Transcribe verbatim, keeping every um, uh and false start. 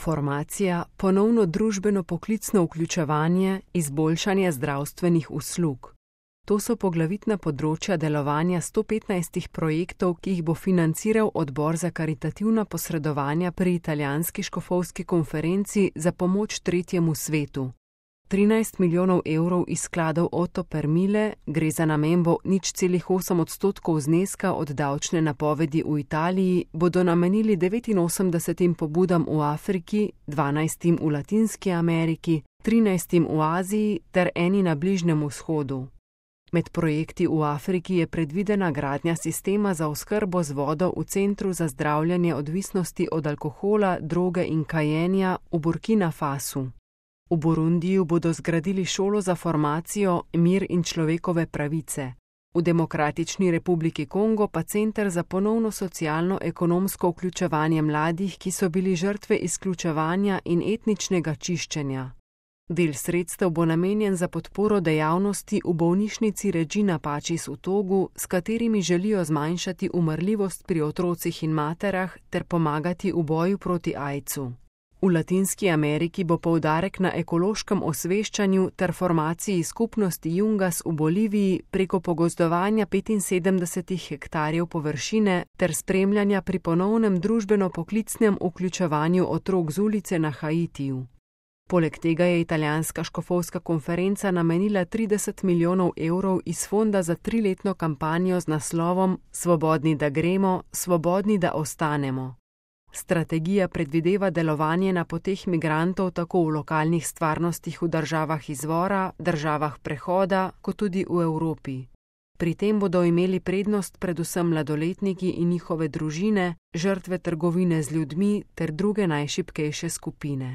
Formacija, ponovno družbeno-poklicno vključevanje, izboljšanje zdravstvenih uslug. To so poglavitna področja delovanja sto petnajstih projektov, ki jih bo financiral Odbor za karitativna posredovanja pri italijanski škofovski konferenci za pomoč tretjemu svetu. trinajst milijonov evrov iz skladov Otto per mille, gre za namembo nič celih osem odstotkov zneska od davčne napovedi v Italiji, bodo namenili devetinosemdesetim pobudam v Afriki, dvanajstim v Latinski Ameriki, trinajstim v Aziji ter eni na Bližnjem vzhodu. Med projekti v Afriki je predvidena gradnja sistema za oskrbo z vodo v Centru za zdravljenje odvisnosti od alkohola, droge in kajenja v Burkina Fasu. V Burundiju bodo zgradili šolo za formacijo, mir in človekove pravice. V Demokratični republiki Kongo pa center za ponovno socialno-ekonomsko vključevanje mladih, ki so bili žrtve izključevanja in etničnega čiščenja. Del sredstev bo namenjen za podporo dejavnosti v bolnišnici Regina Pacis v Togu, s katerimi želijo zmanjšati umrljivost pri otrocih in materah ter pomagati v boju proti aidsu. V Latinski Ameriki bo poudarek na ekološkem osveščanju ter formaciji skupnosti Yungas v Boliviji preko pogozdovanja petinsedemdesetih hektarjev površine ter spremljanja pri ponovnem družbeno-poklicnem vključevanju otrok z ulice na Haitiju. Poleg tega je italijanska škofovska konferenca namenila trideset milijonov evrov iz fonda za triletno kampanjo z naslovom Svobodni, da gremo, svobodni, da ostanemo. Strategija predvideva delovanje na poteh migrantov tako v lokalnih stvarnostih v državah izvora, državah prehoda, kot tudi v Evropi. Pri tem bodo imeli prednost predvsem mladoletniki in njihove družine, žrtve trgovine z ljudmi ter druge najšibkejše skupine.